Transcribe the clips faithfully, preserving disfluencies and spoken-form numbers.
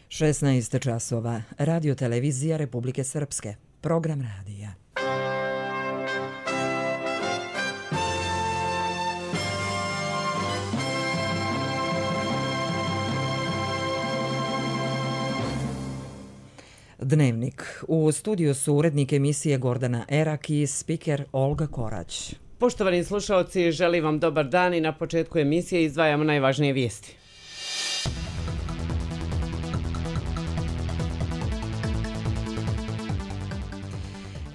šesnaest časova. Radio televizija Republike Srpske. Program radija. Dnevnik. U studiju su urednik emisije Gordana Erak i spiker Olga Korać. Poštovani slušalci, želim vam dobar dan i na početku emisije izdvajamo najvažnije vijesti.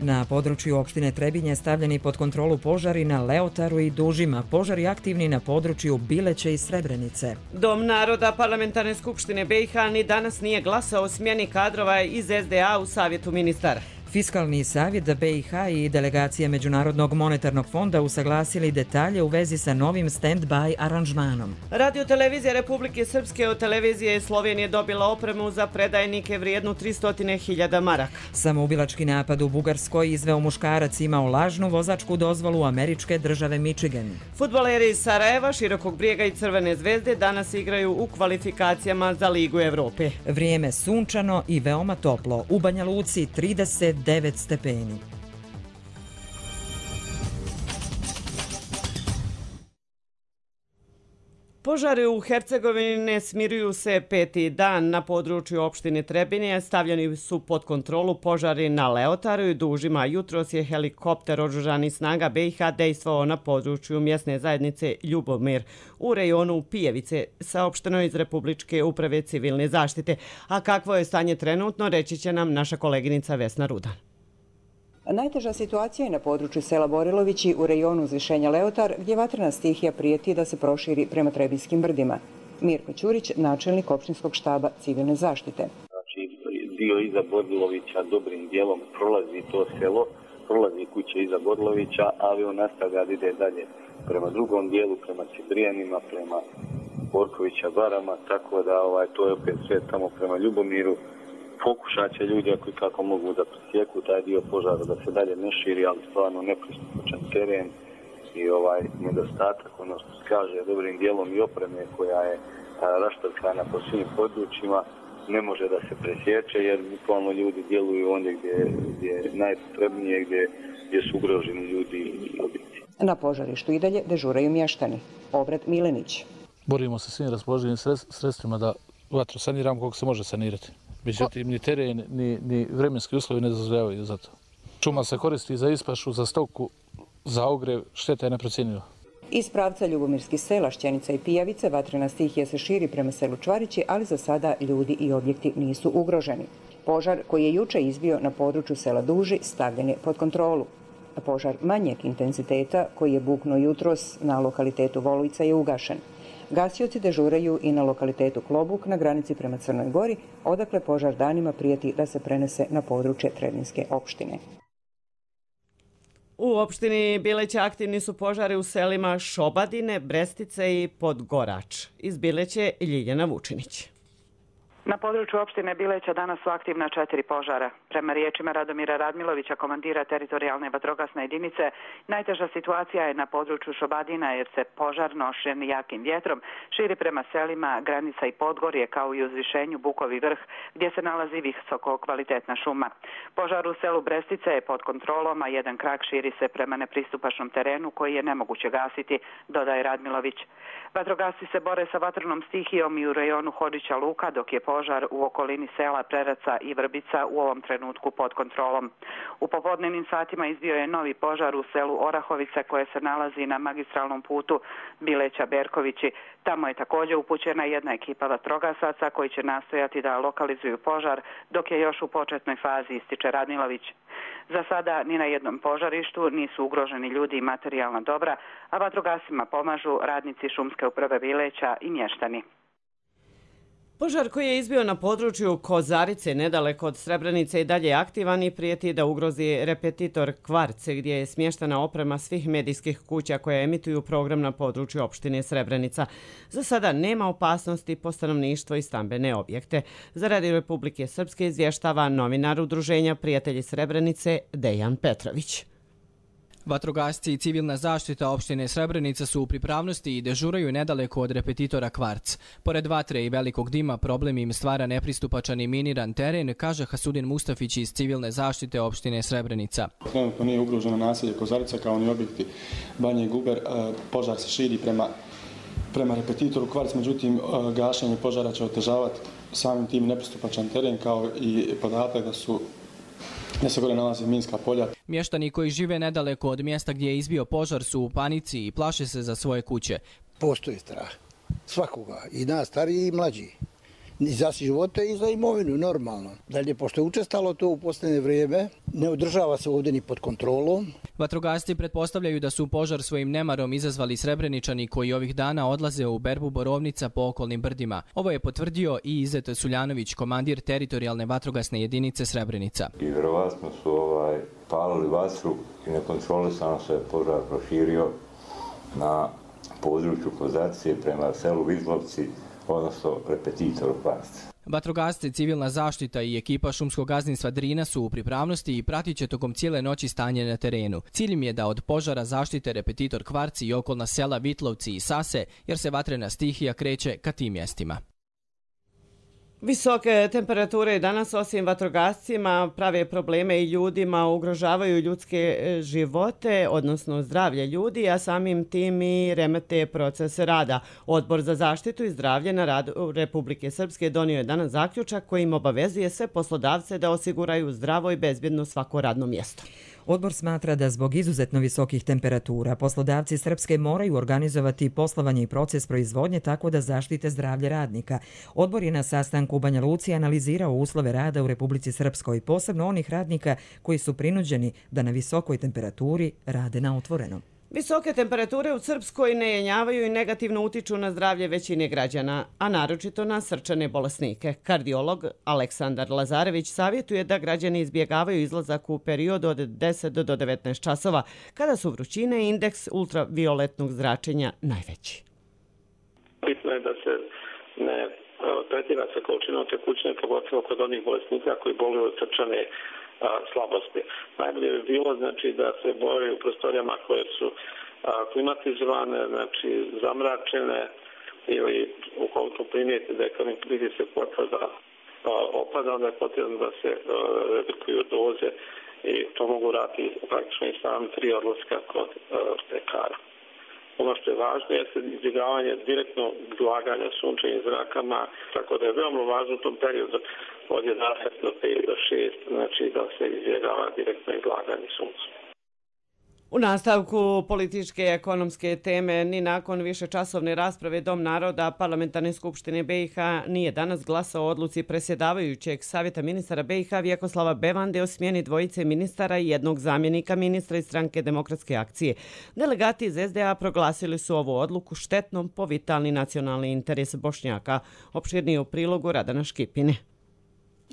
Na području opštine Trebinje stavljeni pod kontrolu požari na Leotaru i Dužima, požari aktivni na području Bileće i Srebrenice. Dom naroda Parlamentarne skupštine B i H ni danas nije glasao o smjeni kadrova iz S D A u Savjetu ministara. Fiskalni savjet B i H i delegacija Međunarodnog monetarnog fonda usaglasili detalje u vezi sa novim stand-by aranžmanom. Radio televizija Republike Srpske od televizije Slovenije dobila opremu za predajnike vrijednu tristo hiljada maraka. Samoubilački napad u Bugarskoj izveo muškarac imao lažnu vozačku dozvolu američke države Michigan. Fudbaleri iz Sarajeva, Širokog Brijega i Crvene zvezde danas igraju u kvalifikacijama za Ligu Evrope. Vrijeme sunčano i veoma toplo. U Banja Luci trideset devet stepeni. Požari u Hercegovini ne smiruju se peti dan. Na području opštine Trebinje stavljeni su pod kontrolu požari na Leotaru i Dužima. Jutros je helikopter oružanih snaga B i H dejstvovao na području mjesne zajednice Ljubomir u rejonu Pijevice, saopšteno iz Republičke uprave civilne zaštite. A kakvo je stanje trenutno, reći će nam naša koleginica Vesna Rudan. Najteža situacija je na području sela Borilovići u rejonu uzvišenja Leotar, gdje vatrena stihija prijeti da se proširi prema Trebinskim brdima. Mirko Ćurić, načelnik opštinskog štaba civilne zaštite. Znači, dio iza Borilovića dobrim dijelom prolazi to selo, prolazi kuće iza Borilovića, ali on nastavlja da ide dalje prema drugom dijelu, prema Cibrijanima, prema Borkovića barama, tako da ovaj, to je opet sve tamo prema Ljubomiru. Pokušat će ljudi ako i kako mogu da presjeku taj dio požara, da se dalje ne širi, ali stvarno nepristupačan teren i ovaj nedostatak, ono što se kaže, dobrim dijelom i opreme koja je raštrkana po svim područjima, ne može da se presječe jer bukvalno ljudi djeluju ondje gdje, gdje je najpotrebnije, gdje, gdje su ugroženi ljudi i objekti. Na požarištu i dalje dežuraju mještani. Obrat Milenić. Borimo se svim raspoloživim sredstvima da vatru saniramo koliko se može sanirati. Međutim, ni teren, ni, ni vremenski uslovi ne dozvoljavaju za to. Šuma se koristi za ispašu, za stoku, za ogrev, šteta je neprocjenjiva. Iz pravca Ljubomirskih sela, Šćenica i Pijavice, vatrena stihija se širi prema selu Čvarići, ali za sada ljudi i objekti nisu ugroženi. Požar koji je juče izbio na području sela Duži stavljen je pod kontrolu. Požar manjeg intenziteta koji je buknuo jutros na lokalitetu Volujica je ugašen. Gasioci dežuraju i na lokalitetu Klobuk na granici prema Crnoj Gori, odakle požar danima prijeti da se prenese na područje Trebinjske opštine. U opštini Bileće aktivni su požari u selima Šobadine, Brestice i Podgorač. Iz Bileće Ljiljana Vučinić. Na području opštine Bileća danas su aktivna četiri požara. Prema riječima Radomira Radmilovića, komandira teritorijalne vatrogasne jedinice, najteža situacija je na području Šobadina jer se požar nošen jakim vjetrom širi prema selima Granica i Podgorje kao i uzvišenju Bukovi vrh gdje se nalazi visoko kvalitetna šuma. Požar u selu Brestice je pod kontrolom, a jedan krak širi se prema nepristupačnom terenu koji je nemoguće gasiti, dodaje Radmilović. Vatrogasci se bore sa vatrenom stihijom i u rejonu Hodića Luka, dok je požar u okolini sela Preraca i Vrbica u ovom trenutku pod kontrolom. U popodnevnim satima izbio je novi požar u selu Orahovica koje se nalazi na magistralnom putu Bileća-Berkovići. Tamo je također upućena jedna ekipa vatrogasaca koji će nastojati da lokalizuju požar dok je još u početnoj fazi, ističe Radmilović. Za sada ni na jednom požarištu nisu ugroženi ljudi i materijalna dobra, a vatrogasima pomažu radnici šumske uprave Bileća i mještani. Požar koji je izbio na području Kozarice, nedaleko od Srebrenice, i dalje je aktivan i prijeti da ugrozi repetitor Kvarce, gdje je smještena oprema svih medijskih kuća koje emituju program na području opštine Srebrenica. Za sada nema opasnosti po stanovništvo i stambene objekte. Za Radio Republike Srpske izvještava novinar Udruženja Prijatelji Srebrenice Dejan Petrović. Vatrogasci i civilna zaštita opštine Srebrenica su u pripravnosti i dežuraju nedaleko od repetitora Kvarc. Pored vatre i velikog dima problem im stvara nepristupačan i miniran teren, kaže Hasudin Mustafić iz civilne zaštite opštine Srebrenica. Trenutno nije ugroženo naselje Kozarica kao ni objekti Banje i Guber. Požar se širi prema, prema repetitoru Kvarc, međutim gašenje požara će otežavati samim tim nepristupačan teren kao i podatak da su da se gore nalaze minska polja. Mještani koji žive nedaleko od mjesta gdje je izbio požar su u panici i plaše se za svoje kuće. Postoji strah svakoga, i nas stariji i mlađi. I za živote i za imovinu, normalno. Dalje, pošto je učestalo to u posljednje vrijeme, ne održava se ovdje ni pod kontrolom. Vatrogasci pretpostavljaju da su požar svojim nemarom izazvali Srebreničani koji ovih dana odlaze u berbu borovnica po okolnim brdima. Ovo je potvrdio i Izet Suljanović, komandir teritorijalne vatrogasne jedinice Srebrenica. I vjerovatno su ovaj, palili vatru i nekontrolisano se požar proširio na području Kozarice prema selu Vizlovci, odnosno repetitoru Kvarc. Vatrogasci, civilna zaštita i ekipa šumskog gazdinstva Drina su u pripravnosti i pratit će tokom cijele noći stanje na terenu. Cilj im je da od požara zaštite repetitor Kvarci i okolna sela Vitlovci i Sase, jer se vatrena stihija kreće ka tim mjestima. Visoke temperature danas osim vatrogascima prave probleme i ljudima, ugrožavaju ljudske živote, odnosno zdravlje ljudi, a samim tim i remete proces rada. Odbor za zaštitu i zdravlje na radu Republike Srpske donio je danas zaključak kojim obavezuje sve poslodavce da osiguraju zdravo i bezbjedno svako radno mjesto. Odbor smatra da zbog izuzetno visokih temperatura poslodavci Srpske moraju organizovati poslovanje i proces proizvodnje tako da zaštite zdravlje radnika. Odbor je na sastanku u Banja Luci analizirao uslove rada u Republici Srpskoj, posebno onih radnika koji su prinuđeni da na visokoj temperaturi rade na otvorenom. Visoke temperature u Srpskoj ne jenjavaju i negativno utiču na zdravlje većine građana, a naročito na srčane bolesnike. Kardiolog Aleksandar Lazarević savjetuje da građani izbjegavaju izlazak u periodu od deset do devetnaest časova, kada su vrućine i indeks ultravioletnog zračenja najveći. Bitno je da se ne tretira sa količinom tekućine, pogotovo kod onih bolesnika koji boluju od srčane slabosti. Najbolje bi bilo znači da se boje u prostorijama koje su a, klimatizovane, znači zamračene, ili ukoliko primijete da je pritisak potvrda opada, onda je potrebno da se a, redukuju doze i to mogu raditi praktično i sami tri odlaska kod lekara. Ono što je važno je izbjegavanje direktno izlaganja sunčevim zrakama, tako da je veoma važno u tom periodu od jedanaest do pet do šest, znači da se izbjegava direktno izlaganje suncu. U nastavku političke i ekonomske teme, ni nakon višečasovne rasprave Dom naroda Parlamentarne skupštine B i H nije danas glasao o odluci predsjedavajućeg Savjeta ministara B i H Vjekoslava Bevande o smjeni dvojice ministara i jednog zamjenika ministra iz Stranke demokratske akcije. Delegati iz S D A proglasili su ovu odluku štetnom po vitalni nacionalni interes Bošnjaka. Opširnije u prilogu Radana Škipine.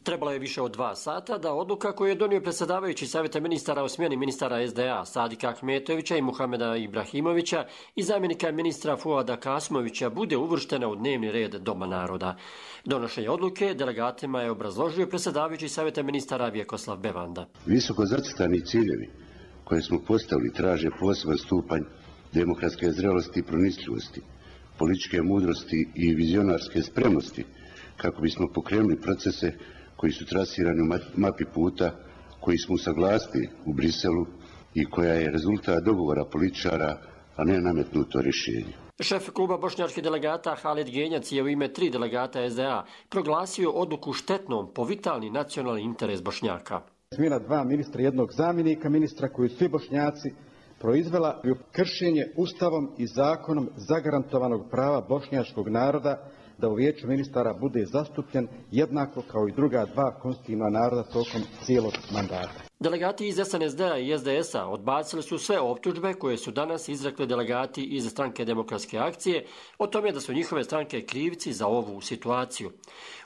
Trebalo je više od dva sata da odluka koju je donio predsjedavajući Savjeta ministara o smjeni ministara S D A Sadika Ahmetovića i Muhameda Ibrahimovića i zamjenika ministra Fuada Kasmovića bude uvrštena u dnevni red Doma naroda. Donošenje odluke delegatima je obrazložio predsjedavajući Savjeta ministara Vjekoslav Bevanda. Visoko zacrtani ciljevi koje smo postavili traže poseban stupanj demokratske zrelosti i pronicljivosti, političke mudrosti i vizionarske spremnosti kako bismo pokrenuli procese koji su trasirani u mapi puta, koji smo usaglasili u Briselu i koja je rezultat dogovora političara, a ne nametnuto rješenje. Šef kluba bošnjačkih delegata Halid Genjac je u ime tri delegata S D A proglasio odluku štetnom po vitalni nacionalni interes Bošnjaka. Smjena dva ministra, jednog zamjenika ministra koji svi Bošnjaci proizvela kršenje Ustavom i zakonom zagarantovanog prava bošnjačkog naroda da u vijeću ministara bude zastupljen jednako kao i druga dva konstitutivna naroda tokom cijelog mandata. Delegati iz S N S D-a i S D S-a odbacili su sve optužbe koje su danas izrekli delegati iz Stranke demokratske akcije o tome da su njihove stranke krivci za ovu situaciju.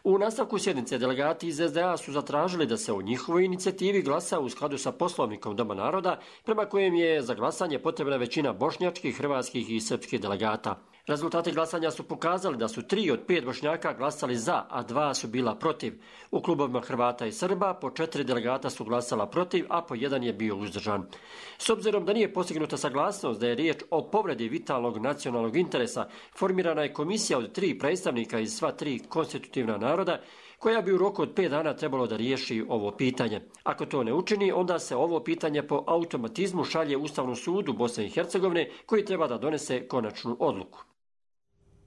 U nastavku sjednice delegati iz S D A su zatražili da se o njihovoj inicijativi glasa u skladu sa poslovnikom Doma naroda, prema kojem je za glasanje potrebna većina bošnjačkih, hrvatskih i srpskih delegata. Rezultati glasanja su pokazali da su tri od pet Bošnjaka glasali za, a dva su bila protiv. U klubovima Hrvata i Srba po četiri delegata su glasala protiv, protiv, a po jedan je bio uzdržan. S obzirom da nije postignuta saglasnost da je riječ o povredi vitalnog nacionalnog interesa, formirana je komisija od tri predstavnika iz sva tri konstitutivna naroda, koja bi u roku od pet dana trebalo da riješi ovo pitanje. Ako to ne učini, onda se ovo pitanje po automatizmu šalje Ustavnom sudu Bosne i Hercegovine, koji treba da donese konačnu odluku.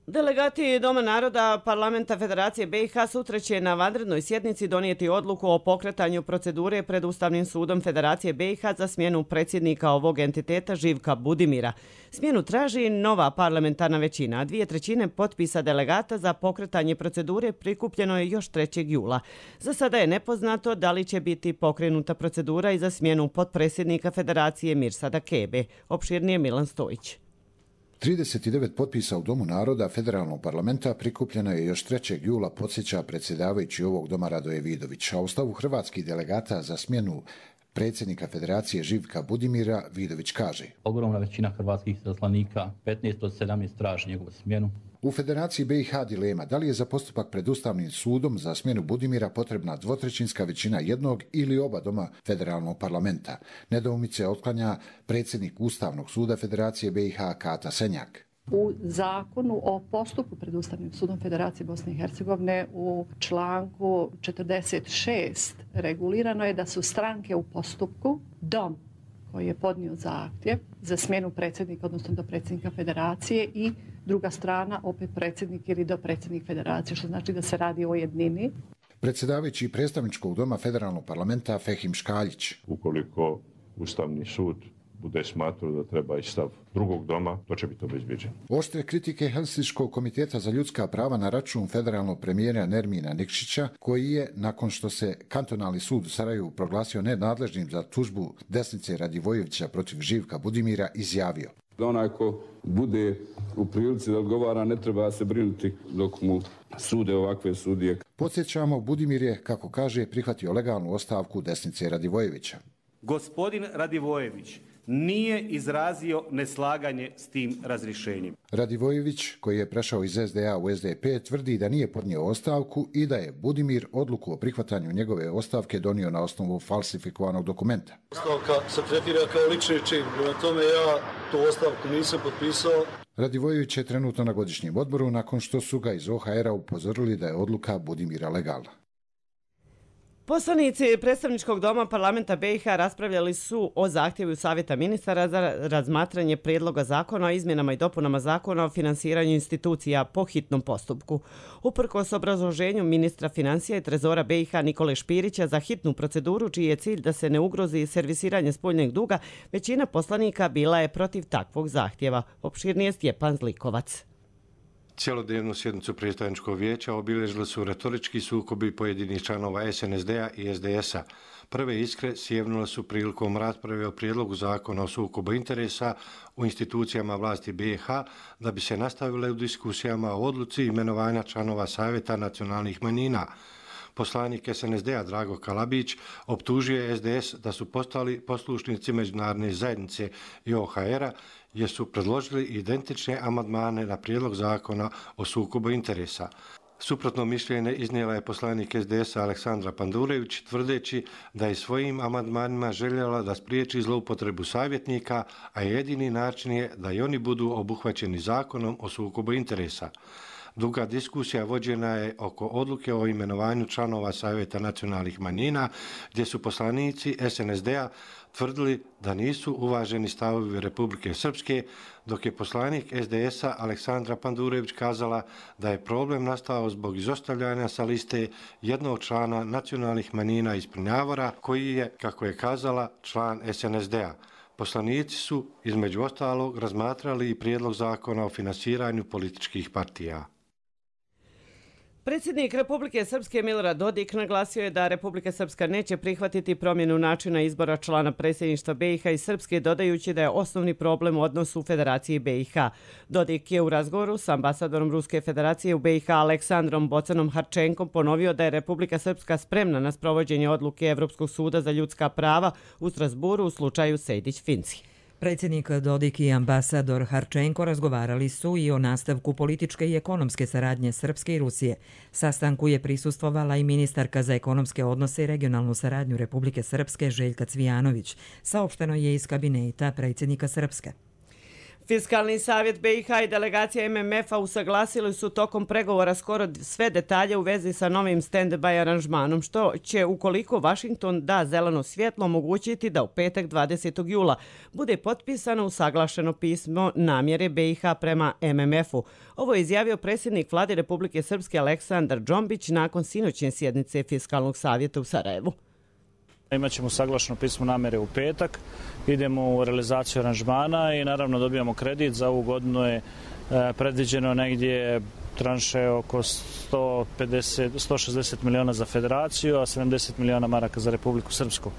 Delegati Doma naroda Parlamenta Federacije B i H sutra će na vanrednoj sjednici donijeti odluku o pokretanju procedure pred Ustavnim sudom Federacije B i H za smjenu predsjednika ovog entiteta Živka Budimira. Smjenu traži nova parlamentarna većina, a dvije trećine potpisa delegata za pokretanje procedure prikupljeno je još trećeg jula. Za sada je nepoznato da li će biti pokrenuta procedura i za smjenu potpredsjednika Federacije Mirsada Kebe. Opširnije Milan Stojić. trideset devet potpisa u Domu naroda Federalnog parlamenta prikupljeno je još trećeg jula, podsjeća predsjedavajući ovog doma Radoje Vidović, a u stavu hrvatskih delegata za smjenu predsjednika Federacije Živka Budimira Vidović kaže: Ogromna većina hrvatskih izaslanika, petnaest od sedamnaest, traži njegovu smjenu. U Federaciji B i H dilema da li je za postupak pred Ustavnim sudom za smjenu Budimira potrebna dvotrećinska većina jednog ili oba doma Federalnog parlamenta. Nedoumice otklanja predsjednik Ustavnog suda Federacije B i H Kata Senjak. U zakonu o postupku pred Ustavnim sudom Federacije Bosne i Hercegovine u članku četrdeset šest regulirano je da su stranke u postupku dom koji je podnio zahtjev za smjenu predsjednika, odnosno do predsjednika Federacije, i druga strana opet predsjednik ili do predsjednik Federacije, što znači da se radi o jednini. Predsjedavajući predstavničkog doma Federalnog parlamenta Fehim Škaljić. Ukoliko Ustavni sud bude smatrao da treba i stav drugog doma, to će biti obezbeđeno. Oštre kritike Helsinškog komiteta za ljudska prava na račun federalnog premijera Nermina Nikšića, koji je, nakon što se kantonalni sud u Sarajevu proglasio nenadležnim za tužbu desnice Radivojevića protiv Živka Budimira, izjavio: Da onaj ko bude u prilici da odgovara, ne treba se brinuti dok mu sude ovakve sudije. Podsjećamo, Budimir je, kako kaže, prihvatio legalnu ostavku desnice Radivojevića. Gospodin Radivojević nije izrazio neslaganje s tim razrješenjem. Radivojević, koji je prešao iz S D A u S D P, tvrdi da nije podnio ostavku i da je Budimir odluku o prihvatanju njegove ostavke donio na osnovu falsifikovanog dokumenta. Ostavka se tretira kao lični čin, prema tome ja tu ostavku nisam potpisao. Radivojević je trenutno na godišnjem odboru nakon što su ga iz O H R-a upozorili da je odluka Budimira legalna. Poslanici predstavničkog doma Parlamenta B i H raspravljali su o zahtjevu Savjeta ministara za razmatranje prijedloga zakona o izmjenama i dopunama zakona o finansiranju institucija po hitnom postupku. Uprkos obrazloženju ministra financija i trezora B i H Nikole Špirića za hitnu proceduru, čiji je cilj da se ne ugrozi servisiranje spoljnog duga, većina poslanika bila je protiv takvog zahtjeva. Opširnije Stjepan Zlikovac. Cijelodnevnu sjednicu predstavničkog vijeća obilježili su retorički sukobi pojedinih članova S N S D-a i S D S-a. Prve iskre sjevnule su prilikom rasprave o prijedlogu zakona o sukobu interesa u institucijama vlasti B i H, da bi se nastavile u diskusijama o odluci imenovanja članova Savjeta nacionalnih manjina. Poslanik S N S D-a Drago Kalabić optužuje S D S da su postali poslušnici međunarodne zajednice i O H R-a, jer su predložili identične amandmane na prijedlog zakona o sukobu interesa. Suprotno mišljenje iznijela je poslanik S D S-a Aleksandra Pandurević, tvrdeći da je svojim amandmanima željela da spriječi zloupotrebu savjetnika, a jedini način je da i oni budu obuhvaćeni zakonom o sukobu interesa. Duga diskusija vođena je oko odluke o imenovanju članova Savjeta nacionalnih manjina, gdje su poslanici S N S D-a tvrdili da nisu uvaženi stavovi Republike Srpske, dok je poslanik S D S-a Aleksandra Pandurević kazala da je problem nastao zbog izostavljanja sa liste jednog člana nacionalnih manjina iz Prnjavora, koji je, kako je kazala, član S N S D-a. Poslanici su, između ostalog, razmatrali i prijedlog zakona o finansiranju političkih partija. Predsjednik Republike Srpske Milorad Dodik naglasio je da Republika Srpska neće prihvatiti promjenu načina izbora člana predsjedništva B i H i Srpske, dodajući da je osnovni problem u odnosu u Federaciji B i H. Dodik je u razgovoru s ambasadorom Ruske federacije u B i H Aleksandrom Bocanom Harčenkom ponovio da je Republika Srpska spremna na sprovođenje odluke Evropskog suda za ljudska prava u Strasburu u slučaju Sejdić-Finci. Predsjednik Dodik i ambasador Harčenko razgovarali su i o nastavku političke i ekonomske saradnje Srpske i Rusije. Sastanku je prisustvovala i ministarka za ekonomske odnose i regionalnu saradnju Republike Srpske Željka Cvijanović. Saopšteno je iz kabineta predsjednika Srpske. Fiskalni savjet B i H i delegacija M M F-a usaglasili su tokom pregovora skoro sve detalje u vezi sa novim stand-by aranžmanom, što će, ukoliko Washington da zeleno svjetlo, omogućiti da u petak dvadesetog jula bude potpisano usaglašeno pismo namjere B i H prema M M F-u. Ovo je izjavio predsjednik Vlade Republike Srpske Aleksandar Džombić nakon sinoćne sjednice Fiskalnog savjeta u Sarajevu. Imaćemo saglašeno pismo namjere u petak, idemo u realizaciju aranžmana i naravno dobijamo kredit. Za ovu godinu je predviđeno negdje tranše oko sto pedeset, sto šezdeset miliona za federaciju, a sedamdeset miliona maraka za Republiku Srpsku.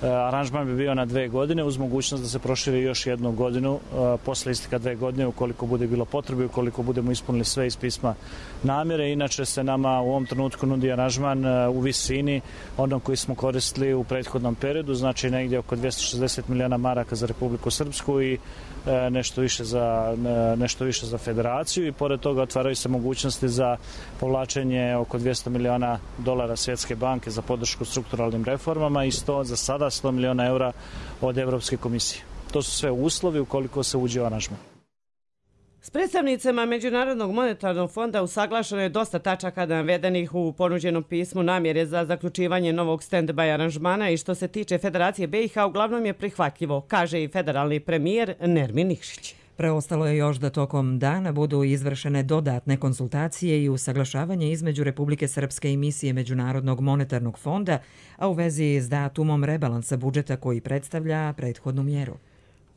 Aranžman bi bio na dve godine uz mogućnost da se proširi još jednu godinu posle isteka dve godine ukoliko bude bilo potrebe, ukoliko budemo ispunili sve iz pisma namjere. Inače se nama u ovom trenutku nudi aranžman u visini onog koji smo koristili u prethodnom periodu, znači negdje oko dvjesto šezdeset miliona maraka za Republiku Srpsku i nešto više za, nešto više za federaciju i pored toga otvaraju se mogućnosti za povlačenje oko dvjesto miliona dolara Svjetske banke za podršku strukturalnim reformama i sto za sada sto miliona eura od Evropske komisije. To su sve uslovi ukoliko se uđe u aranžman. S predstavnicama Međunarodnog monetarnog fonda usaglašeno je dosta tačaka navedenih u ponuđenom pismu namjere za zaključivanje novog stand-by aranžmana i što se tiče Federacije B i H uglavnom je prihvatljivo, kaže i federalni premijer Nermin Nikšić. Preostalo je još da tokom dana budu izvršene dodatne konsultacije i usaglašavanje između Republike Srpske i misije Međunarodnog monetarnog fonda, a u vezi s datumom rebalansa budžeta koji predstavlja prethodnu mjeru.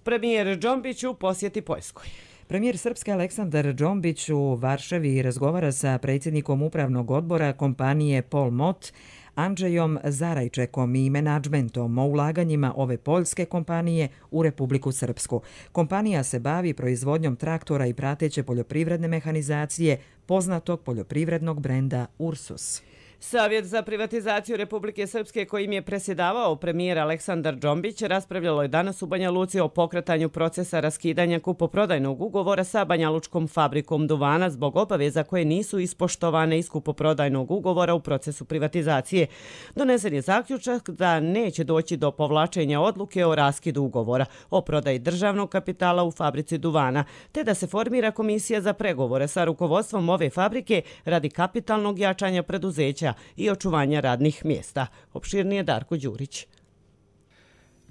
Premijer Džombić u posjeti Poljskoj. Premijer Srpske Aleksandar Džombić u Varšavi razgovara sa predsjednikom upravnog odbora kompanije Polmot, Andrzejom Zarajčekom i menadžmentom o ulaganjima ove poljske kompanije u Republiku Srpsku. Kompanija se bavi proizvodnjom traktora i prateće poljoprivredne mehanizacije poznatog poljoprivrednog brenda Ursus. Savjet za privatizaciju Republike Srpske kojim je presjedavao premijer Aleksandar Džombić raspravljalo je danas u Banja Luci o pokretanju procesa raskidanja kupoprodajnog ugovora sa Banjalučkom fabrikom duvana zbog obaveza koje nisu ispoštovane iz kupoprodajnog ugovora u procesu privatizacije. Donesen je zaključak da neće doći do povlačenja odluke o raskidu ugovora o prodaji državnog kapitala u fabrici duvana, te da se formira komisija za pregovore sa rukovodstvom ove fabrike radi kapitalnog jačanja preduzeća i očuvanja radnih mjesta. Opširnije Darko Đurić.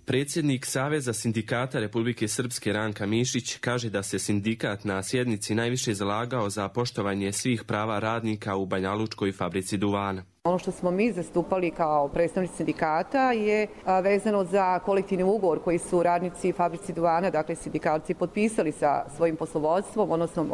Predsjednik Saveza sindikata Republike Srpske Ranka Mišić kaže da se sindikat na sjednici najviše zalagao za poštovanje svih prava radnika u Banjalučkoj fabrici duvana. Ono što smo mi zastupali kao predstavnici sindikata je vezano za kolektivni ugovor koji su radnici fabrici duvana, dakle sindikalci, potpisali sa svojim poslovodstvom, odnosno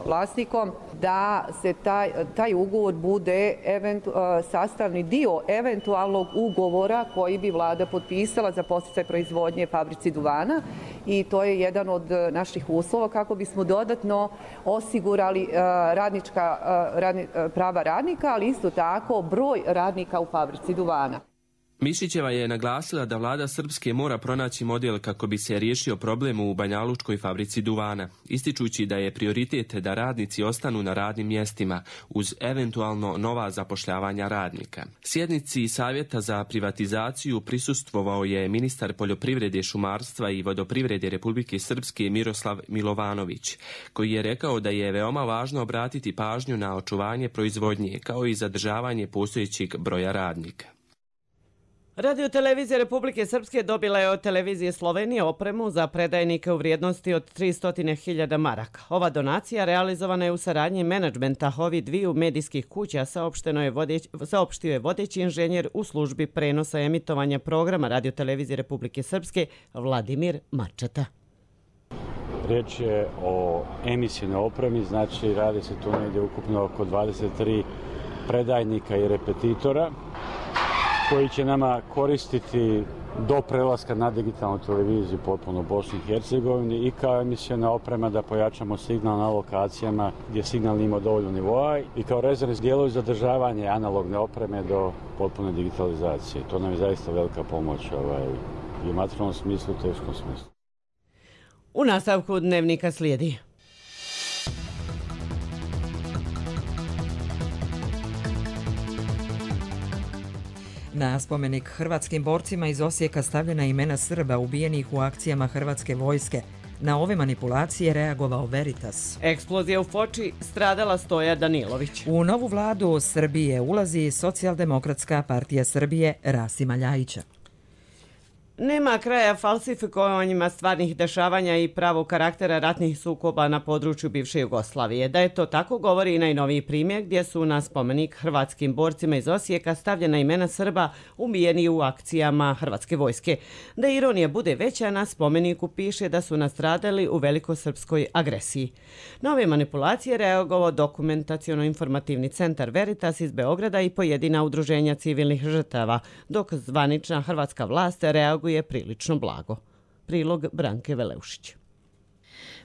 vlasnikom, da se taj, taj ugovor bude eventu, sastavni dio eventualnog ugovora koji bi vlada potpisala za podsticaj proizvodnje fabrici duvana i to je jedan od naših uslova kako bismo dodatno osigurali radnička, radni, prava radnika, ali isto tako broj radnika u fabrici duvana. Mišićeva je naglasila da vlada Srpske mora pronaći model kako bi se riješio problem u Banjalučkoj fabrici duvana, ističući da je prioritet da radnici ostanu na radnim mjestima uz eventualno nova zapošljavanja radnika. Sjednici Savjeta za privatizaciju prisustvovao je ministar poljoprivrede, šumarstva i vodoprivrede Republike Srpske Miroslav Milovanović, koji je rekao da je veoma važno obratiti pažnju na očuvanje proizvodnje kao i zadržavanje postojećeg broja radnika. Radio televizija Republike Srpske dobila je od televizije Slovenije opremu za predajnike u vrijednosti od tristo hiljada maraka. Ova donacija realizovana je u saradnji menadžmenta ovih dviju medijskih kuća, saopšteno je vodeć, saopštio je vodeći inženjer u službi prenosa emitovanja programa Radio televizije Republike Srpske Vladimir Mačata. Riječ je o emisijonoj opremi, znači radi se tu negdje ukupno oko dvadeset tri predajnika i repetitora koji će nama koristiti do prelaska na digitalnu televiziju potpuno u Bosni i Hercegovini i kao emisiona oprema da pojačamo signal na lokacijama gdje signal nima dovoljno nivoa i kao rezervni dijelovi zadržavanje analogne opreme do potpune digitalizacije. To nam je zaista velika pomoć ovaj, i u materijalnom smislu i u teškom smislu. U nastavku dnevnika slijedi. Na spomenik hrvatskim borcima iz Osijeka stavljena imena Srba ubijenih u akcijama hrvatske vojske. Na ove manipulacije reagovao Veritas. Eksplozija u Foči, stradala Stoja Danilović. U novu vladu Srbije ulazi Socijaldemokratska partija Srbije Rasima Ljajića. Nema kraja falsifikovanjima stvarnih dešavanja i pravog karaktera ratnih sukoba na području bivše Jugoslavije. Da je to tako govori i najnoviji primjer gdje su na spomenik hrvatskim borcima iz Osijeka stavljena imena Srba ubijeni u akcijama hrvatske vojske. Da ironija bude veća, na spomeniku piše da su nastradali u velikosrpskoj agresiji. Na ove manipulacije reagovao dokumentaciono-informativni centar Veritas iz Beograda i pojedina udruženja civilnih žrtava, dok zvanična hrvatska vlast reaguje je prilično blago. Prilog Branke Veleušić.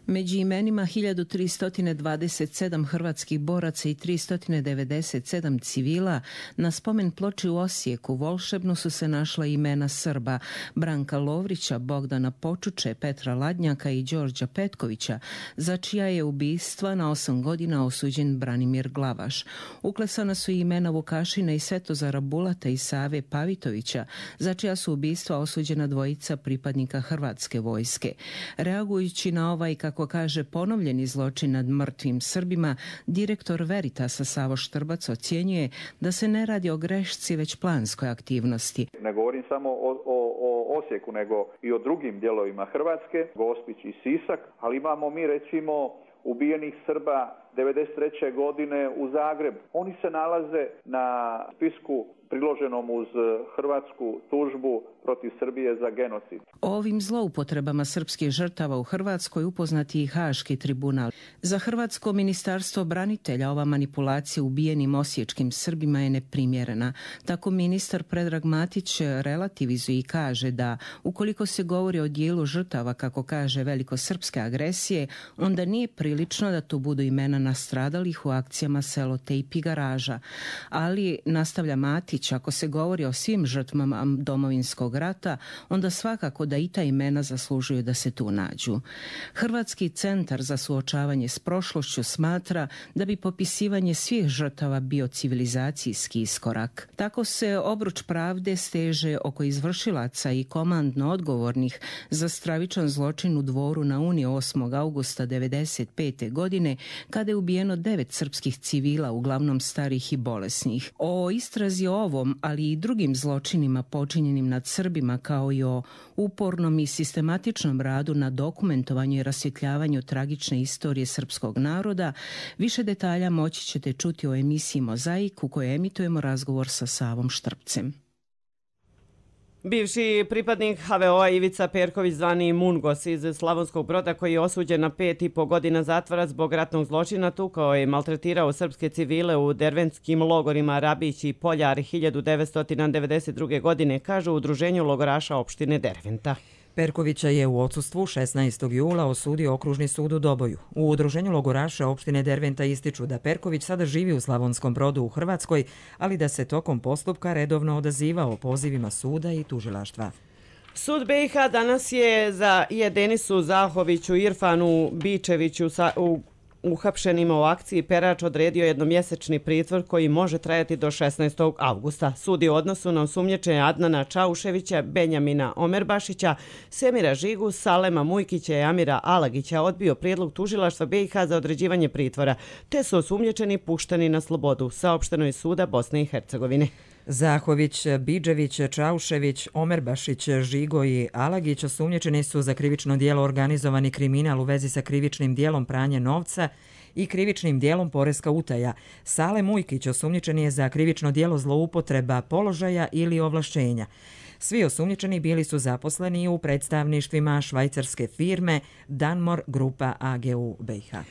Među imenima hiljadu tristo dvadeset sedam hrvatskih boraca i tristo devedeset sedam civila na spomen ploči u Osijeku volšebno su se našla imena Srba Branka Lovrića, Bogdana Počuče, Petra Ladnjaka i Đorđa Petkovića, za čija je ubistva na osam godina osuđen Branimir Glavaš. Uklesana su i imena Vukašina i Svetozara Bulata i Save Pavitovića, za čija su ubistva osuđena dvojica pripadnika hrvatske vojske. Reagujući na ovaj, kako kaže, ponovljeni zločin nad mrtvim Srbima, direktor Veritasa Savo Štrbac ocjenjuje da se ne radi o grešci, već planskoj aktivnosti. Ne govorim samo o, o, o Osijeku, nego i o drugim dijelovima Hrvatske, Gospić i Sisak, ali imamo mi recimo ubijenih Srba devedeset treće godine u Zagrebu. Oni se nalaze na spisku priloženom uz hrvatsku tužbu protiv Srbije za genocid. O ovim zloupotrebama srpskih žrtava u Hrvatskoj upoznati i Haški tribunal. Za Hrvatsko ministarstvo branitelja ova manipulacija ubijenim osječkim Srbima je neprimjerena. Tako ministar Predrag Matić relativizuje i kaže da ukoliko se govori o dijelu žrtava, kako kaže, velikosrpske agresije, onda nije prilično da tu budu imena nastradalih u akcijama Selote i Pigaraža. Ali, nastavlja Matić, ako se govori o svim žrtvama Domovinskog rata, onda svakako da i ta imena zaslužuju da se tu nađu. Hrvatski centar za suočavanje s prošlošću smatra da bi popisivanje svih žrtava bio civilizacijski iskorak. Tako se obruč pravde steže oko izvršilaca i komandno odgovornih za stravičan zločin u Dvoru na Uni osmog avgusta devedeset pete. godine, kada je ubijeno devet srpskih civila, uglavnom starih i bolesnih. O istrazi o ovom, ali i drugim zločinima počinjenim nad Srbima, kao i o upornom i sistematičnom radu na dokumentovanju i rasvjetljavanju tragične istorije srpskog naroda, više detalja moći ćete čuti o emisiji Mozaik, u kojoj emitujemo razgovor sa Savom Štrpcem. Bivši pripadnik ha ve o-a Ivica Perković, zvani Mungos iz Slavonskog Broda, koji je osuđen na pet i po godina zatvora zbog ratnog zločina, tukao je i maltretirao srpske civile u derventskim logorima Rabić i Poljar hiljadu devetsto devedeset druge. godine, kažu u udruženju logoraša opštine Derventa. Perkovića je u odsustvu šesnaestog jula osudio okružni sud u Doboju. U udruženju logoraša opštine Derventa ističu da Perković sada živi u Slavonskom Brodu u Hrvatskoj, ali da se tokom postupka redovno odazivao pozivima suda i tužilaštva. Sud be i ha danas je za je Denisu Zahoviću, Irfanu Bičeviću u uhapšenima u akciji Perač odredio jednomjesečni pritvor koji može trajati do šesnaestog avgusta. Sud je u odnosu na osumnjičenje Adnana Čauševića, Benjamina Omerbašića, Semira Žigu, Salema Mujkića i Amira Alagića odbio prijedlog tužilaštva be i ha za određivanje pritvora, te su osumnjičeni pušteni na slobodu, saopšteno iz suda Bosne i Hercegovine. Zahović, Bidžević, Čaušević, Omerbašić, Žigo i Alagić osumnjičeni su za krivično dijelo organizovani kriminal u vezi sa krivičnim dijelom pranja novca i krivičnim dijelom poreska utaja. Sale Mujkić osumnjičen je za krivično dijelo zloupotreba položaja ili ovlašćenja. Svi osumnjičeni bili su zaposleni u predstavništvima švajcarske firme Danmor Grupa a ge u be i ha.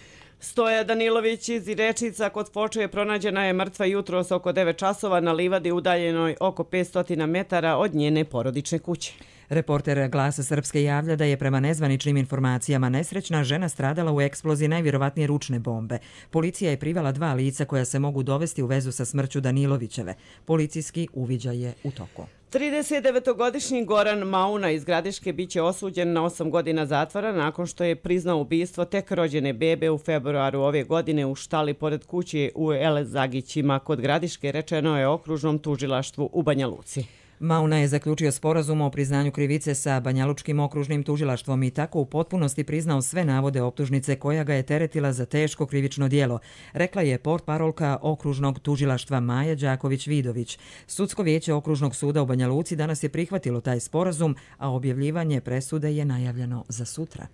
Stoja Danilović iz Irečica kod Foče pronađena je mrtva jutros oko devet časova na livadi udaljenoj oko petsto metara od njene porodične kuće. Reporter Glasa Srpske javlja da je prema nezvaničnim informacijama nesrećna žena stradala u eksploziji najvjerovatnije ručne bombe. Policija je privela dva lica koja se mogu dovesti u vezu sa smrću Danilovićeve. Policijski uviđaj je u toku. tridesetdevetogodišnji Goran Mauna iz Gradiške biće osuđen na osam godina zatvora nakon što je priznao ubistvo tek rođene bebe u februaru ove godine u štali pored kuće u Elezagićima kod Gradiške, rečeno je okružnom tužilaštvu u Banja Luci. Mauna je zaključio sporazum o priznanju krivice sa Banjalučkim okružnim tužilaštvom i tako u potpunosti priznao sve navode optužnice koja ga je teretila za teško krivično djelo, rekla je portparolka okružnog tužilaštva Maja Đaković-Vidović. Sudsko vijeće okružnog suda u Banja Luci danas je prihvatilo taj sporazum, a objavljivanje presude je najavljeno za sutra.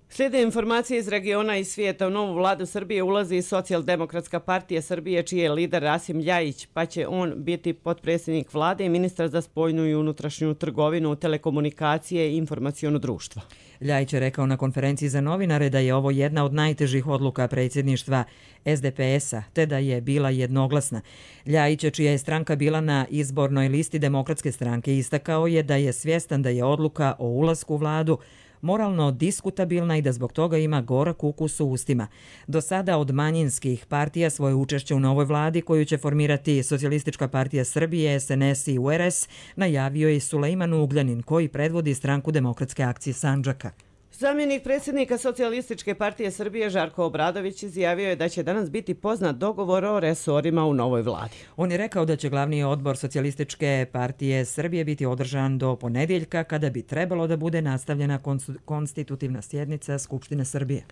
Slijede informacije iz regiona i svijeta. U novu vladu Srbije ulazi Socijaldemokratska partija Srbije, čiji je lider Rasim Ljajić, pa će on biti potpredsjednik vlade i ministar za spoljnu i unutrašnju trgovinu, telekomunikacije i informaciono društvo. Ljajić je rekao na konferenciji za novinare da je ovo jedna od najtežih odluka predsjedništva S D P S-a, te da je bila jednoglasna. Ljajić, čija je stranka bila na izbornoj listi Demokratske stranke, istakao je da je svjestan da je odluka o ulasku u vladu moralno diskutabilna i da zbog toga ima gorak ukus u ustima. Do sada od manjinskih partija svoje učešće u novoj vladi koju će formirati Socijalistička partija Srbije, S N S i U R S najavio je Sulejman Ugljanin, koji predvodi stranku Demokratske akcije Sandžaka. Zamjenik predsjednika Socijalističke partije Srbije Žarko Obradović izjavio je da će danas biti poznat dogovor o resorima u novoj vladi. On je rekao da će glavni odbor Socijalističke partije Srbije biti održan do ponedjeljka, kada bi trebalo da bude nastavljena konstitutivna sjednica Skupštine Srbije.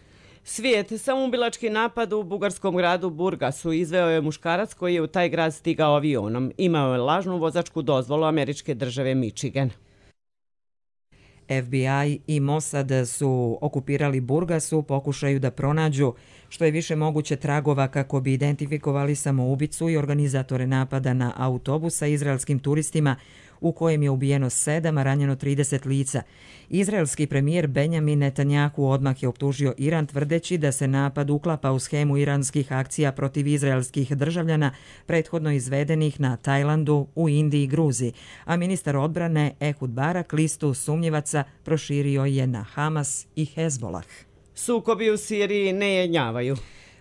Svijet, samoubilački napad u bugarskom gradu Burgasu izveo je muškarac koji je u taj grad stigao avionom. Imao je lažnu vozačku dozvolu američke države Michigan. F B I i Mossad su okupirali Burgas u pokušaju da pronađu što je više moguće tragova kako bi identifikovali samoubicu i organizatore napada na autobus sa izraelskim turistima u kojem je ubijeno sedam, a ranjeno trideset lica. Izraelski premijer Benjamin Netanjahu odmah je optužio Iran tvrdeći da se napad uklapa u schemu iranskih akcija protiv izraelskih državljana prethodno izvedenih na Tajlandu, u Indiji i Gruziji, a ministar odbrane Ehud Barak listu sumnjivaca proširio je na Hamas i Hezbolah. Sukobi u Siriji ne jenjavaju.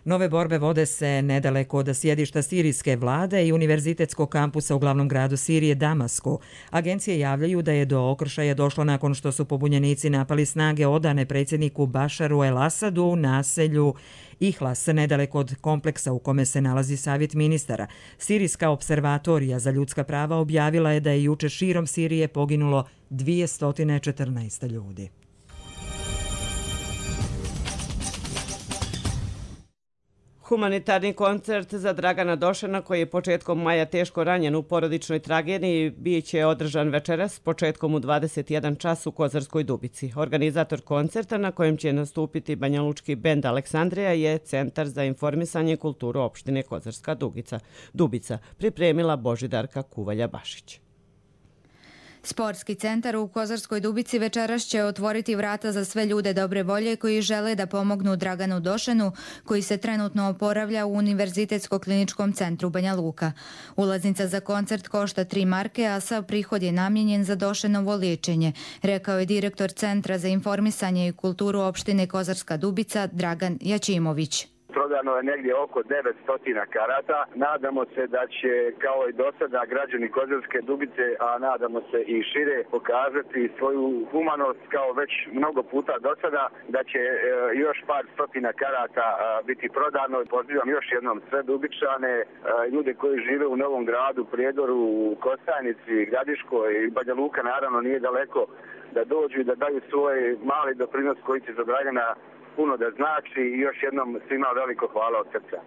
Nove borbe vode se nedaleko od sjedišta sirijske vlade i univerzitetskog kampusa u glavnom gradu Sirije Damasku. Agencije javljaju da je do okršaja došlo nakon što su pobunjenici napali snage odane predsjedniku Bašaru el-Asadu u naselju Ihlas, nedaleko od kompleksa u kome se nalazi savjet ministara. Sirijska observatorija za ljudska prava objavila je da je juče širom Sirije poginulo dvjesto četrnaest ljudi. Humanitarni koncert za Dragana Došana, koji je početkom maja teško ranjen u porodičnoj tragediji, bit će održan večeras početkom u dvadeset jedan čas u Kozarskoj Dubici. Organizator koncerta, na kojem će nastupiti banjalučki bend Aleksandrija, je Centar za informisanje i kulturu opštine Kozarska Dubica, pripremila Božidarka Kuvalja-Bašić. Sportski centar u Kozarskoj Dubici večeras će otvoriti vrata za sve ljude dobre volje koji žele da pomognu Draganu Došanu, koji se trenutno oporavlja u Univerzitetsko-kliničkom centru Banja Luka. Ulaznica za koncert košta tri marke, a sav prihod je namijenjen za Došanovo liječenje, rekao je direktor Centra za informisanje i kulturu opštine Kozarska Dubica Dragan Jačimović. Prodano je negdje oko devetsto karata. Nadamo se da će, kao i do sada, građani Kozarske Dubice, a nadamo se i šire, pokazati svoju humanost kao već mnogo puta do sada, da će e, još par stotina karata a, biti prodano. Pozivam još jednom sve Dubičane, a, ljude koji žive u Novom Gradu, Prijedoru, Kostajnici, Gradiškoj i Banja Luka, naravno nije daleko, da dođu i da daju svoj mali doprinos koji će za Dragana puno da znači, i još jednom svima veliko hvala od srca.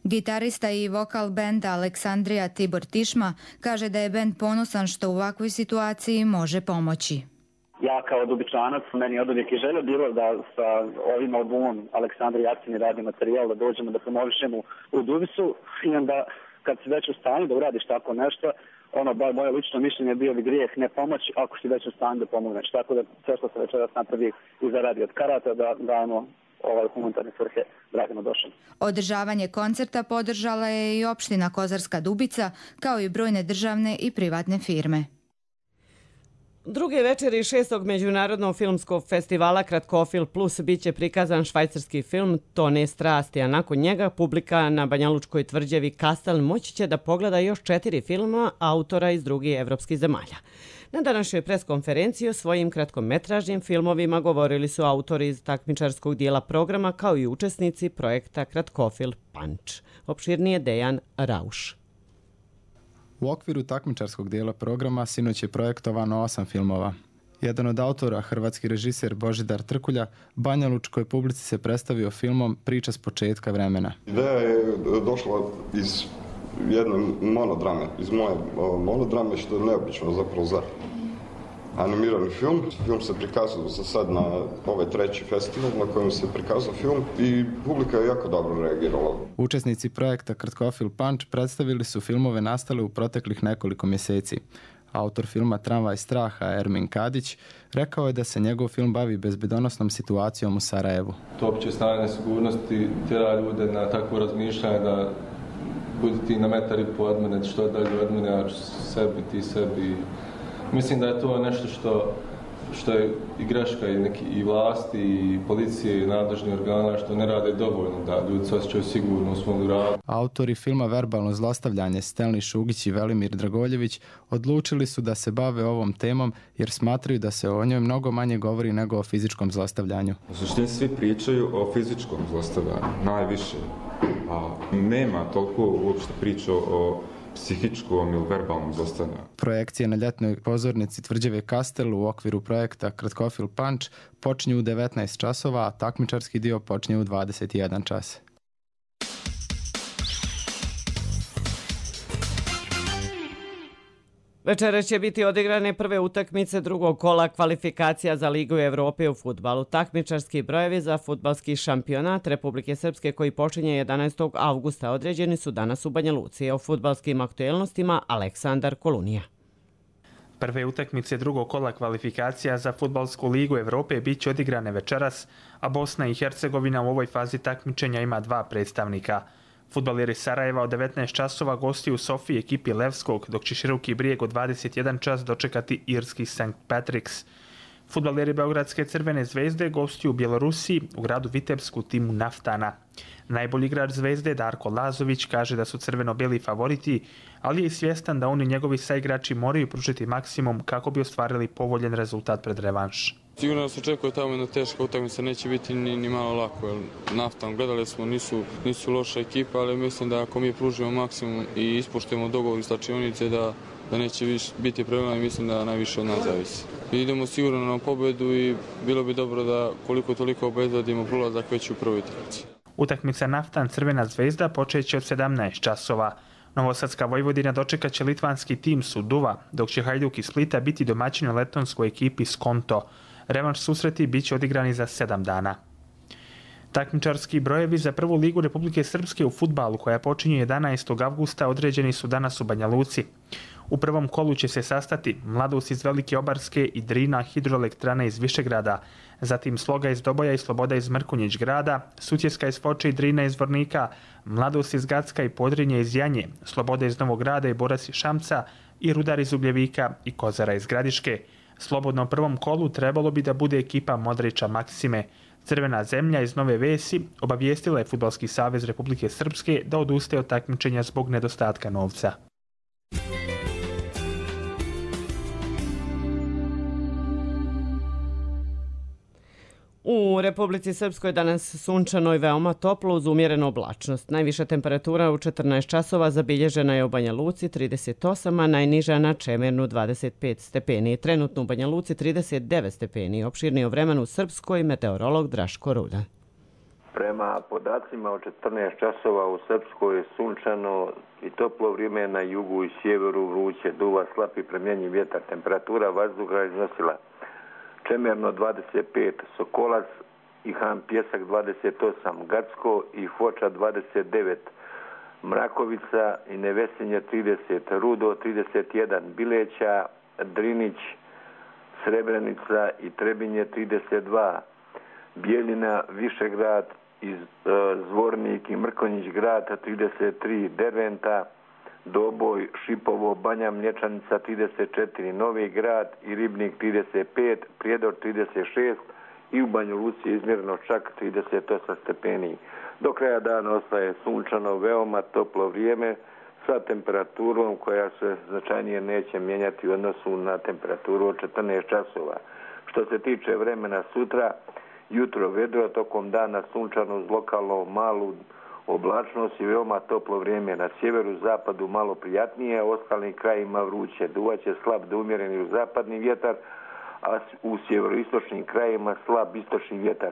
Gitarista i vokal benda Aleksandrija Tibor Tišma kaže da je bend ponosan što u ovakvoj situaciji može pomoći. Ja kao Dubičanac, meni je od uvijek i želja bilo da sa ovim albumom Aleksandrija aktivni radi materijal, da dođemo da promovišemo u Dubicu, i onda kad si već u stanju da uradiš tako nešto, ono, bar moje lično mišljenje je bio bi grijeh ne pomoći ako si već u stanju da pomogneš. Tako da sve što se večeras napravi i zaradi od karata, da dajemo ovaj humanitarne svrhe Draganu Došanu. Održavanje koncerta podržala je i opština Kozarska Dubica, kao i brojne državne i privatne firme. Druge večeri šestog međunarodnog filmskog festivala Kratkofilm Plus bit će prikazan švajcarski film Tone strasti, a nakon njega publika na Banjalučkoj tvrđavi Kastel moći će da pogleda još četiri filma autora iz drugih evropskih zemalja. Na današnjoj preskonferenciji o svojim kratkometražnim filmovima govorili su autori iz takmičarskog dijela programa kao i učesnici projekta Kratkofilm Punch. Opširnije Dejan Rauš. U okviru takmičarskog dijela programa sinoć je projektovano osam filmova. Jedan od autora, hrvatski režiser Božidar Trkulja, banjalučkoj publici se predstavio filmom Priča s početka vremena. Ideja je došla iz jedne monodrame, iz moje monodrame, što je neobično zapravo za animirani film. Film se prikazao za sad na ovaj treći festival na kojem se prikazao film i publika je jako dobro reagirala. Učesnici projekta Kratkofilm Punch predstavili su filmove nastale u proteklih nekoliko mjeseci. Autor filma Tramvaj straha Ermin Kadić rekao je da se njegov film bavi bezbedonosnom situacijom u Sarajevu. To opće stanje nesigurnosti tjera ljude na takvo razmišljanje da budi ti na metar i po od mene, što dalje od mene, ja ću sebi, ti sebi. Mislim da je to nešto što, što je i greška i, neki, i vlasti, i policije, i nadležni organa, što ne rade dovoljno da ljudi se osjećaju sigurno u svom gradu. Autori filma Verbalno zlostavljanje Stelni Šugić i Velimir Dragoljević odlučili su da se bave ovom temom jer smatraju da se o njoj mnogo manje govori nego o fizičkom zlostavljanju. U suštini svi pričaju o fizičkom zlostavljanju, najviše. A nema toliko uopšte priča o psihičkom ili verbalnom zlostavljanju. Projekcije na ljetnoj pozornici tvrđave Kastel u okviru projekta Kratkofilm Punch počinju u devetnaest časova, a takmičarski dio počinje u dvadeset jedan čas. Večeras će biti odigrane prve utakmice drugog kola kvalifikacija za Ligu Evrope u fudbalu. Takmičarski brojevi za fudbalski šampionat Republike Srpske koji počinje jedanaestog avgusta određeni su danas u Banja Luci. O fudbalskim aktuelnostima Aleksandar Kolunija. Prve utakmice drugog kola kvalifikacija za fudbalsku ligu Evrope bit će odigrane večeras, a Bosna i Hercegovina u ovoj fazi takmičenja ima dva predstavnika. Fudbaleri Sarajeva od devetnaest časova gosti u Sofiji ekipi Levskog, dok će Široki Brijeg od dvadeset jedan čas dočekati irski Sankt Patrick's. Fudbaleri Beogradske Crvene zvezde gosti u Bjelorusiji u gradu Vitebsku timu Naftana. Najbolji igrač Zvezde Darko Lazović kaže da su crveno-beli favoriti, ali je i svjestan da oni njegovi saigrači moraju pružiti maksimum kako bi ostvarili povoljen rezultat pred revanš. Sigurno nas očekuje tamo jedna teška utakmica, neće biti ni, ni malo lako. Jer Naftan, gledali smo, nisu, nisu loša ekipa, ali mislim da ako mi pružimo maksimum i ispoštujemo dogovor iz slačionice da, da neće viš, biti problema i mislim da najviše od nas zavisi. I idemo sigurno na pobjedu i bilo bi dobro da koliko toliko obezbedimo prolazak već u prvoj utakmici. Utakmica Naftan Crvena zvezda počeće od sedamnaest časova. Novosadska Vojvodina dočekat će litvanski tim Suduva, dok će Hajduk iz Splita biti domaćin u letonskoj ekipi Skonto. Revanš susreti bit će odigrani za sedam dana. Takmičarski brojevi za prvu ligu Republike Srpske u fudbalu koja počinje jedanaestog avgusta određeni su danas u Banja Luci. U prvom kolu će se sastati Mladost iz Velike Obarske i Drina hidroelektrana iz Višegrada, zatim Sloga iz Doboja i Sloboda iz Mrkonjić grada, Sutjeska iz Foče i Drina iz Vornika, Mladost iz Gacka i Podrinje iz Janje, Sloboda iz Novog grada i Boras iz Šamca i Rudar iz Ugljevika i Kozara iz Gradiške. Slobodno prvom kolu trebalo bi da bude ekipa Modrića Maksime. Crvena zemlja iz Nove Vesi obavijestila je Fudbalski savez Republike Srpske da odustaje od takmičenja zbog nedostatka novca. U Republici Srpskoj danas sunčano i veoma toplo uz umjerenu oblačnost. Najviša temperatura u četrnaest časova zabilježena je u Banja Luci trideset osam, a najniža na Čemernu dvadeset pet stepeni. Trenutno u Banja Luci trideset devet stepeni. Opširniji o vremenu u Srpskoj meteorolog Draško Rulja. Prema podacima od četrnaest časova u Srpskoj je sunčano i toplo vrijeme na jugu i sjeveru, vruće, duva slab i premjenjiv vjetar. Temperatura vazduha je iznosila Čemerno dvadeset pet, Sokolac i Han Pjesak dvadeset osam, Gacko i Foča dvadeset devet, Mrakovica i Nevesinje trideset, Rudo trideset jedan, Bileća, Drinić, Srebrenica i Trebinje trideset dva, Bijeljina, Višegrad, iz, e, Zvornik i Mrkonjić grad trideset tri, Derventa, Doboj, Šipovo, Banja Mlječanica trideset četiri, Novi Grad i Ribnik trideset pet, Prijedor trideset šest i u Banju Luci izmjereno čak trideset osam stepeni. Do kraja dana ostaje sunčano, veoma toplo vrijeme sa temperaturom koja se značajnije neće mijenjati u odnosu na temperaturu od četrnaest časova. Što se tiče vremena sutra, jutro vedro, tokom dana sunčano uz lokalno malu oblačnost i veoma toplo vrijeme. Na sjeveru, zapadu malo prijatnije, a ostalim krajima vruće. Duvaće slab do umjereni u zapadni vjetar, a u sjeveroistočnim krajima slab istočni vjetar.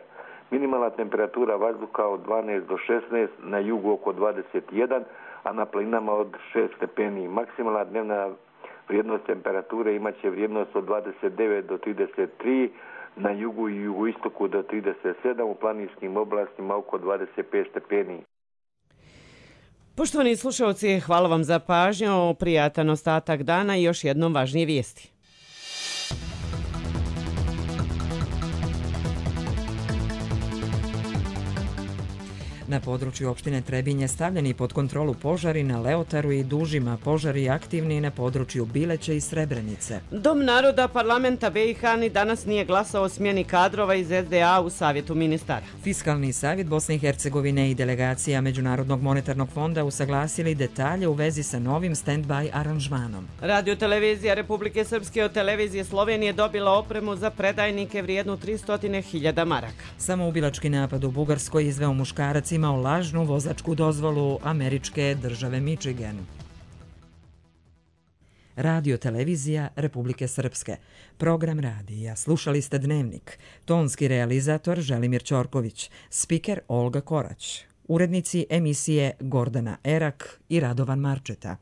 Minimalna temperatura vazduha od dvanaest do šesnaest, na jugu oko dvadeset jedan, a na planinama od šest stepeni. Maksimalna dnevna vrijednost temperature imaće vrijednost od dvadeset devet do trideset tri, na jugu i jugoistoku do trideset sedam, u planinskim oblastima oko dvadeset pet stepeni. Poštovani slušalci, hvala vam za pažnju, prijatan ostatak dana i još jednom važnije vijesti. Na području opštine Trebinje stavljeni pod kontrolu požari na Leotaru i Dužima, požari aktivni na području Bileće i Srebrenice. Dom naroda parlamenta B i H ni danas nije glasao o smjeni kadrova iz S D A u savjetu ministara. Fiskalni savjet Bosne i Hercegovine i delegacija Međunarodnog monetarnog fonda usaglasili detalje u vezi sa novim stand-by aranžmanom. Radio televizija Republike Srpske od televizije Slovenije dobila opremu za predajnike vrijednu tristo hiljada maraka. Samoubilački napad u Bugarskoj izveo muškarac imao lažnu vozačku dozvolu američke države Michigan. Radio televizija Republike Srpske. Program radija. Slušali ste Dnevnik. Tonski realizator Želimir Ćorković. Spiker Olga Korać. Urednici emisije Gordana Erak i Radovan Marčeta.